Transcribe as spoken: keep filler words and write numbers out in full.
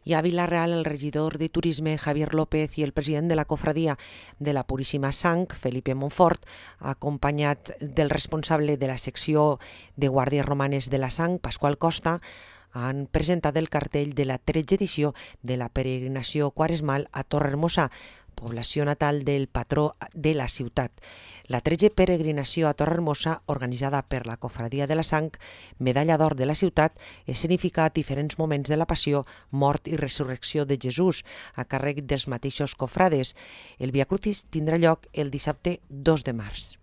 I a Vila-real, el regidor de Turisme, Javier López, i el president de la cofradia de la Puríssima Sang, Felipe Montfort, acompanyat del responsable de la secció de Guàrdies Romanes de la Sang, Pasqual Costa, han presentat el cartell de la tretze edició de la peregrinació quaresmal a Torrehermosa, població natal del patró de la ciutat. La tretze peregrinació a Torrehermosa, organitzada per la Cofradia de la Sang, Medalla d'Or de la ciutat, escenifica diferents moments de la passió, mort i resurrecció de Jesús, a càrrec dels mateixos cofrades. El Via Crucis tindrà lloc el dissabte dos de març.